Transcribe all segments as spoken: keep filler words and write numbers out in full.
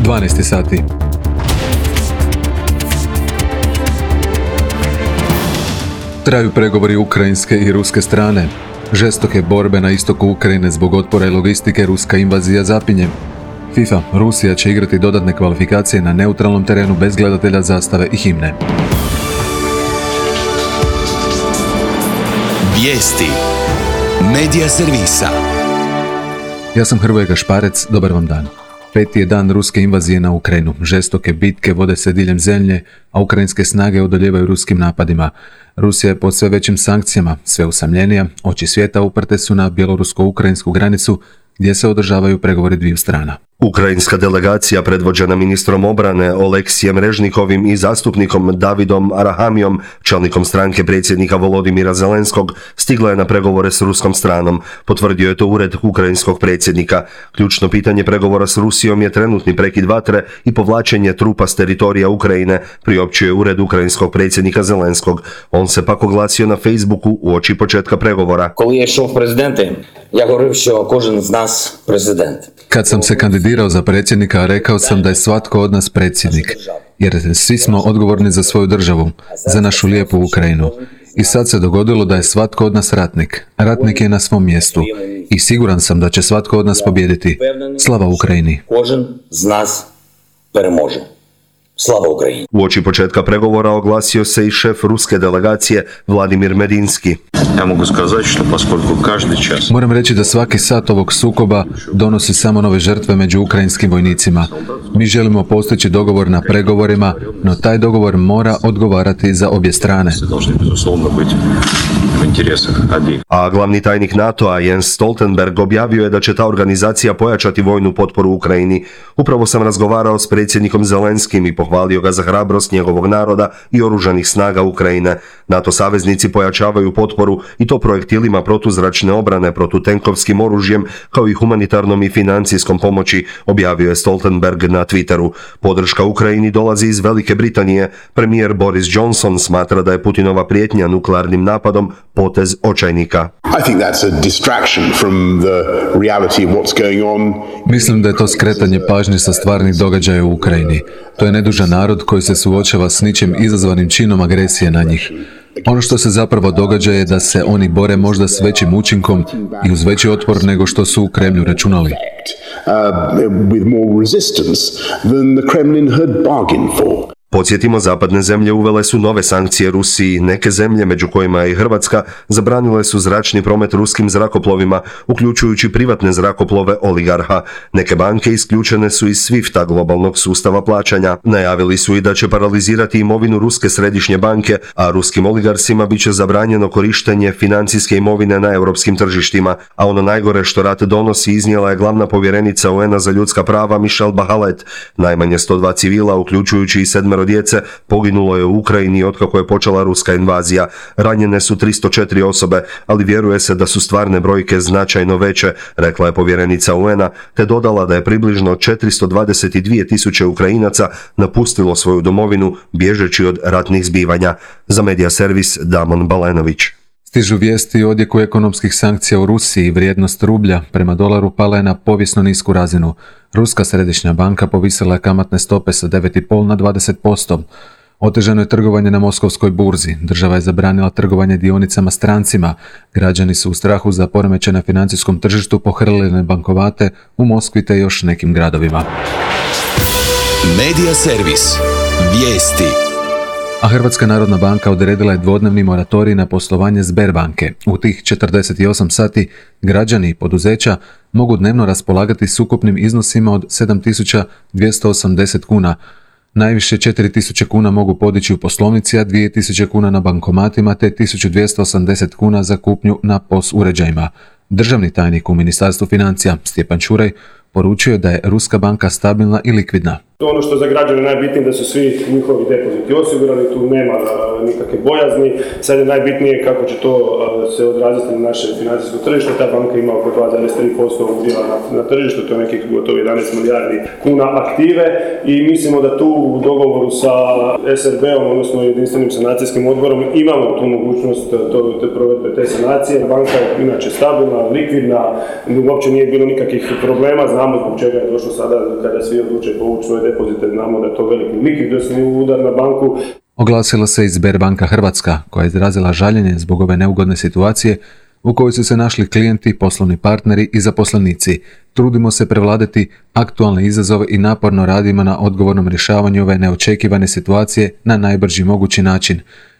dvanaest sati. Traju pregovori ukrajinske i ruske strane. Žestoke borbe na istoku Ukrajine zbog otpora i logistike, ruska invazija zapinje. FIFA, Rusija će igrati dodatne kvalifikacije na neutralnom terenu bez gledatelja, zastave i himne. Vijesti Medija servisa. Ja sam Hrvoje Gašparec, dobar vam dan. Peti je dan ruske invazije na Ukrajinu. Žestoke bitke vode se diljem zemlje, a ukrajinske snage odoljevaju ruskim napadima. Rusija je pod sve većim sankcijama, sve usamljenija, oči svijeta uprte su na bjelorusko-ukrajinsku granicu gdje se održavaju pregovori dviju strana. Ukrajinska delegacija predvođena ministrom obrane Oleksijem Režnikovim i zastupnikom Davidom Arahamijom, čelnikom stranke predsjednika Volodimira Zelenskog, stigla je na pregovore s ruskom stranom, potvrdio je to ured ukrajinskog predsjednika. Ključno pitanje pregovora s Rusijom je trenutni prekid vatre i povlačenje trupa s teritorija Ukrajine, priopćio je ured ukrajinskog predsjednika Zelenskog. On se pak oglasio na Facebooku uoči početka pregovora. Коли я йшов в президенти, я говорив, що кожен з нас президент. Kad sam se kandidirao za predsjednika, rekao sam da je svatko od nas predsjednik, jer svi smo odgovorni za svoju državu, za našu lijepu Ukrajinu. I sad se dogodilo da je svatko od nas ratnik. Ratnik je na svom mjestu i siguran sam da će svatko od nas pobijediti. Slava Ukrajini! Кожен з нас переможе. Slava Ukrajini! Uoči početka pregovora oglasio se i šef ruske delegacije Vladimir Medinski. Ja mogu skazati što поскольку каждый час. Moram reći da svaki sat ovog sukoba donosi samo nove žrtve među ukrajinskim vojnicima. Mi želimo postići dogovor na pregovorima, no taj dogovor mora odgovarati za obje strane. A glavni tajnik NATO-a Jens Stoltenberg objavio je da će ta organizacija pojačati vojnu potporu Ukrajini. Upravo sam razgovarao s predsjednikom Zelenskim i pohvalio ga za hrabrost njegovog naroda i oružanih snaga Ukrajine. NATO saveznici pojačavaju potporu i to projektilima protuzračne obrane, protutenkovskim oružjem, kao i humanitarnom i financijskom pomoći, objavio je Stoltenberg na Twitteru. Podrška Ukrajini dolazi iz Velike Britanije. Premijer Boris Johnson smatra da je Putinova prijetnja nuklearnim napadom potez očajnika. Mislim da je to skretanje pažnje sa stvarnih događaja u Ukrajini. To je nedužan narod koji se suočava s ničim izazvanim činom agresije na njih. Ono što se zapravo događa je da se oni bore možda s većim učinkom i uz veći otpor nego što su u Kremlju računali. Podsjetimo, zapadne zemlje uvele su nove sankcije Rusiji. Neke zemlje, među kojima je i Hrvatska, zabranile su zračni promet ruskim zrakoplovima, uključujući privatne zrakoplove oligarha. Neke banke isključene su iz svifta, globalnog sustava plaćanja. Najavili su i da će paralizirati imovinu Ruske središnje banke, a ruskim oligarsima bit će zabranjeno korištenje financijske imovine na europskim tržištima. A ono najgore što rat donosi iznijela je glavna povjerenica U N A za ljudska prava Michelle Bachelet. Najmanje sto dva civila, uključujući i sedmero djece, poginulo je u Ukrajini otkako je počela ruska invazija. Ranjene su tristo četiri osobe, ali vjeruje se da su stvarne brojke značajno veće, rekla je povjerenica U N A, te dodala da je približno četiristo dvadeset dvije tisuće Ukrajinaca napustilo svoju domovinu bježeći od ratnih zbivanja. Za Medija servis Damon Balenović. Stižu vijesti o odjeku ekonomskih sankcija u Rusiji. Vrijednost rublja prema dolaru pala je na povijesno nisku razinu. Ruska središnja banka povisila je kamatne stope sa devet zarez pet na dvadeset posto. Otežano je trgovanje na moskovskoj burzi. Država je zabranila trgovanje dionicama strancima. Građani su u strahu za poremećaj na financijskom tržištu pohrlili na bankovate u Moskvi te još nekim gradovima. Medija servis. Vijesti. A Hrvatska narodna banka odredila je dvodnevni moratorij na poslovanje Sberbanke. U tih četrdeset osam sati građani i poduzeća mogu dnevno raspolagati s ukupnim iznosima od sedam tisuća dvjesto osamdeset kuna. Najviše četiri tisuće kuna mogu podići u poslovnici, a dvije tisuće kuna na bankomatima te tisuću dvjesto osamdeset kuna za kupnju na P O S uređajima. Državni tajnik u Ministarstvu financija Stjepan Čuraj poručio je da je Ruska banka stabilna i likvidna. Ono što za građane najbitnije da su svi njihovi depoziti osigurani, tu nema nikakve bojazni. Sad je najbitnije kako će to se odraziti na naše financijsko tržište. Ta banka ima oko dva zarez tri posto udjela na, na tržištu, to je nekih gotovo jedanaest milijardi kuna aktive i mislimo da tu u dogovoru sa S R B-om, odnosno jedinstvenim sanacijskim odborom, imamo tu mogućnost to, te provedbe te sanacije. Banka je inače stabilna, likvidna, uopće nije bilo nikakvih problema, znamo zbog čega je došlo sada kada svi odluče povući svoje depozite, znamo da je to veliki likvidnosni udar na banku. Oglasila se i Sberbanka Hrvatska, koja je izrazila žaljenje zbog ove neugodne situacije u kojoj su se našli klijenti, poslovni partneri i zaposlenici. Trudimo se prevladati aktualne izazove i naporno radimo na odgovornom rješavanju ove neočekivane situacije na najbrži mogući način.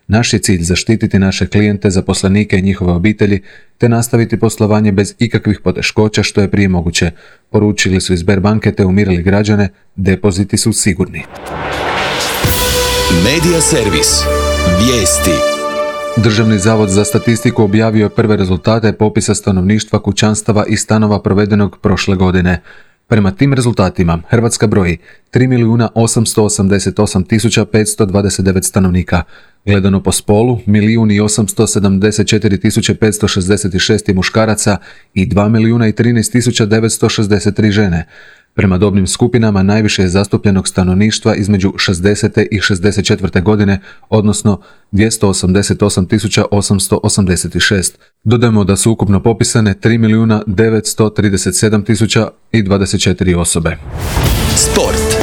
Naš je cilj zaštititi naše klijente, zaposlenike i njihove obitelji, te nastaviti poslovanje bez ikakvih poteškoća što je prije moguće. Poručili su iz Sberbanke te umirili građane, depoziti su sigurni. Medija servis. Vijesti. Državni zavod za statistiku objavio je prve rezultate popisa stanovništva, kućanstava i stanova provedenog prošle godine. Prema tim rezultatima Hrvatska broji tri milijuna osamsto osamdeset osam tisuća petsto dvadeset devet stanovnika. Gledano po spolu, milijun i osamsto sedamdeset četiri tisuće petsto šezdeset šest muškaraca i dva milijuna i trinaest tisuća devetsto šezdeset tri žene. Prema dobnim skupinama najviše je zastupljenog stanovništva između šezdeset i šezdeset četvrte godine, odnosno dvjesto osamdeset osam tisuća osamsto osamdeset šest. Dodajmo da su ukupno popisane tri milijuna devetsto trideset sedam tisuća dvadeset četiri osobe. Sport.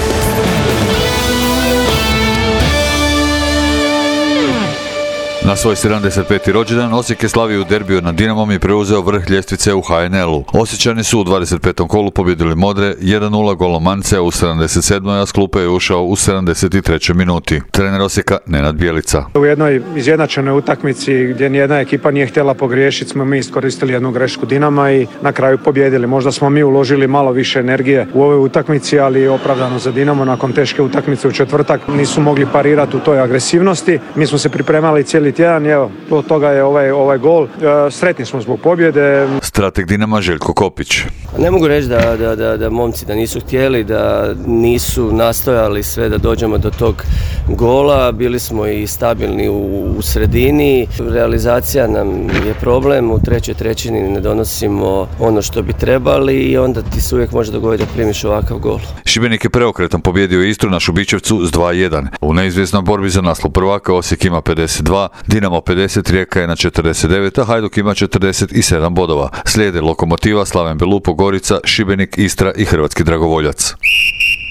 Na svoj sedamdeset peti rođendan Osijek je slavio u derbiju nad Dinamom i preuzeo vrh ljestvice u H N L-u. Osječani su u dvadeset petom kolu pobjedili Modre jedan nula golom Mancea u sedamdeset sedmoj a s klupe je ušao u sedamdeset trećoj minuti. Trener Osijeka Nenad Bjelica. U jednoj izjednačenoj utakmici gdje nijedna ekipa nije htjela pogriješiti smo mi iskoristili jednu grešku Dinama i na kraju pobjedili. Možda smo mi uložili malo više energije u ovoj utakmici, ali opravdano za Dinamo nakon teške utakmice u četvrtak nisu mogli parirati u toj agresivnosti. Mi smo se pripremali cijeli tjedan, evo, od toga je ovaj, ovaj gol. E, sretni smo zbog pobjede. Strateg Dinama Željko Kopić. Ne mogu reći da, da, da, da momci da nisu htjeli, da nisu nastojali sve da dođemo do tog gola. Bili smo i stabilni u, u sredini. Realizacija nam je problem. U trećoj trećini ne donosimo ono što bi trebali i onda ti se uvijek može dogoditi da primiš ovakav gol. Šibenik je preokretom pobjedio Istru na Šubićevcu s dva jedan. U neizvjesnoj borbi za naslov prvaka Osijek ima pedeset dva, Dinamo pedeset, Rijeka je na četrdeset devet, a Hajduk ima četrdeset sedam bodova. Slijede Lokomotiva, Slaven Belupo, Gorica, Šibenik, Istra i Hrvatski dragovoljac.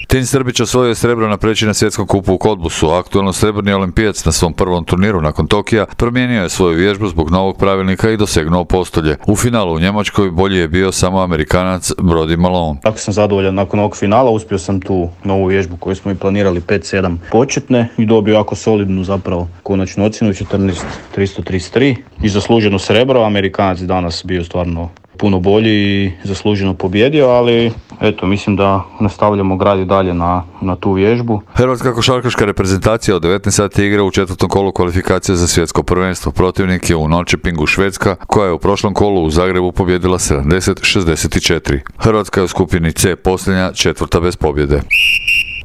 Tin Srbić osvojio je srebro na preći na svjetskom kupu u Kodbusu. Aktualno srebrni olimpijac na svom prvom turniru nakon Tokija promijenio je svoju vježbu zbog novog pravilnika i dosegnuo postolje. U finalu u Njemačkoj bolji je bio samo Amerikanac Brody Malone. Tako sam zadovoljan nakon ovog finala, uspio sam tu novu vježbu koju smo i planirali pet sedam početne i dobio jako solidnu zapravo konačnu ocjenu četrnaest tristo trideset tri i zasluženo srebro. Amerikanac danas bio stvarno puno bolji i zasluženo pobjedio, ali eto, mislim da nastavljamo graditi dalje na, na tu vježbu. Hrvatska košarkaška reprezentacija od devetnaest sati igra u četvrtom kolu kvalifikacije za svjetsko prvenstvo. Protivnik je u Norrköpingu Švedska, koja je u prošlom kolu u Zagrebu pobjedila sedamdeset šezdeset četiri. Hrvatska je u skupini C posljednja, četvrta bez pobjede.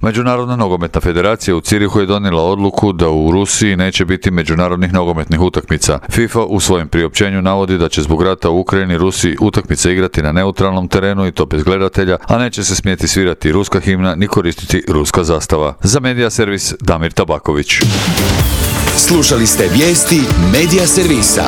Međunarodna nogometna federacija u Cirihu je donijela odluku da u Rusiji neće biti međunarodnih nogometnih utakmica. FIFA u svojem priopćenju navodi da će zbog rata u Ukrajini Rusi utakmice igrati na neutralnom terenu i to bez gledatelja, a neće se smjeti svirati ruska himna ni koristiti ruska zastava. Za Medija servis Damir Tabaković. Slušali ste vijesti Medija servisa.